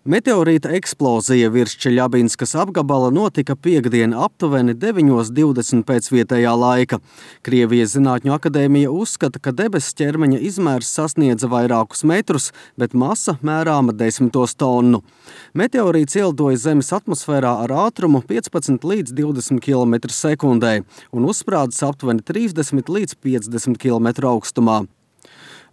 Meteorīta eksplozija virs Čeļabinskas apgabala notika piektdien aptuveni 9:20 pēc vietējā laika. Krievijas Zinātņu akadēmija uzskata, ka debesu ķermeņa izmērs sasniedza vairākus metrus, bet masa mērāma 10 tonu. Meteorīts ielidoja Zemes atmosfērā ar ātrumu 15 līdz 20 km/sekundē un uzsprādzis aptuveni 30 līdz 50 km augstumā.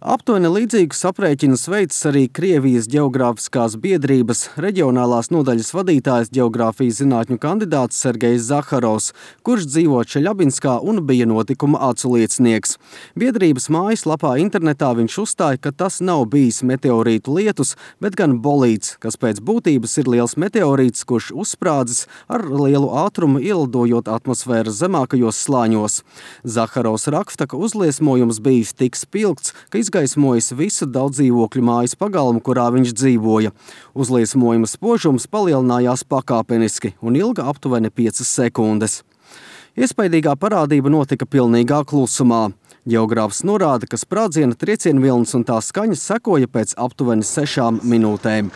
Aptuveni līdzīgus aprēķinus veicis arī Krievijas Ģeogrāfiskās biedrības reģionālās nodaļas vadītājs ģeogrāfijas zinātņu kandidāts Sergejs Zaharovs, kurš dzīvo Čeļabinskā un bija notikuma aculiecinieks. Biedrības mājaslapā internetā viņš uzstāja, ka tas nav bijis meteorītu lietus, bet gan bolīds, kas pēc būtības ir liels meteorīts, kurš uzsprādzis ar lielu ātrumu ielidojot atmosfēras zemākajos slāņos. Zaharovs raksta, ka uzliesmojums bijis tik spilgts, ka izgaismojis visu daudzdzīvokļu mājas pagalmu, kurā viņš dzīvoja. Uzliesmojuma spožums palielinājās pakāpeniski un ilga aptuveni 5 sekundes. Iespaidīgā parādība notika pilnīgā klusumā. Ģeogrāfs norāda, ka sprādziena triecienvilnis un tā skaņas sekoja pēc aptuveni 6 minūtēm.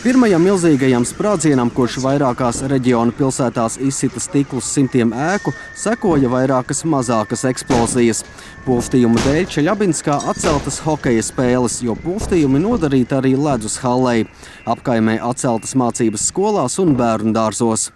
Pirmajam milzīgajam sprādzienam, kurš vairākās reģiona pilsētās izsita stiklus simtiem ēku, sekoja vairākas mazākas eksplozijas. Pulftījuma dēļ Čeļabinskā atceltas hokeja spēles, jo pulftījumi nodarīti arī ledus hallei. Apkaimē atceltas mācības skolās un bērnu dārzos.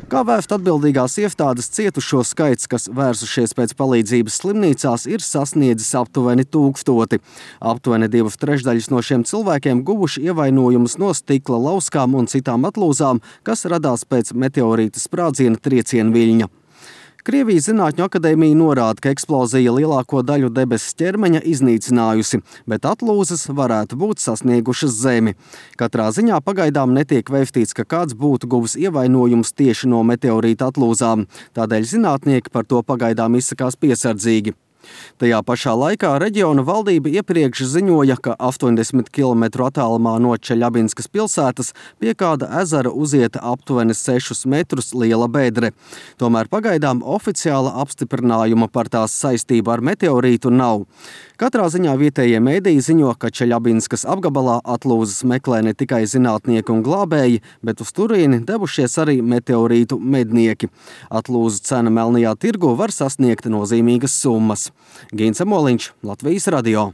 Kā vēst atbildīgās iestādes, cietušo skaits, kas vērsušies pēc palīdzības slimnīcās, ir sasniedzis aptuveni 1000. Aptuveni 2/3 no šiem cilvēkiem guvuši ievainojumus no stikla lauskām un citām atlūzām, kas radās pēc meteorīta sprādziena triecienviļņa. Krievijas Zinātņu akadēmija norāda, ka eksplozija lielāko daļu debesu ķermeņa iznīcinājusi, bet atlūzas varētu būt sasniegušas Zemi. Katrā ziņā pagaidām netiek vēstīts, ka kāds būtu guvis ievainojumus tieši no meteorīta atlūzām. Tādēļ zinātnieki par to pagaidām izsakās piesardzīgi. Tajā pašā laikā reģiona valdība iepriekš ziņoja, ka 80 km attālumā no Čeļabinskas pilsētas pie kāda ezera uzieta aptuveni 6 metrus liela bedre. Tomēr pagaidām oficiāla apstiprinājuma par tās saistību ar meteorītu nav. Katrā ziņā vietējie mēdīji ziņo, ka Čeļabinskas apgabalā atlūzas meklē ne tikai zinātnieki un glābēji, bet uz turieni devušies arī meteorītu mednieki. Atlūzu cena melnajā tirgu var sasniegt nozīmīgas summas. Gīns Amoliņš, Latvijas radio.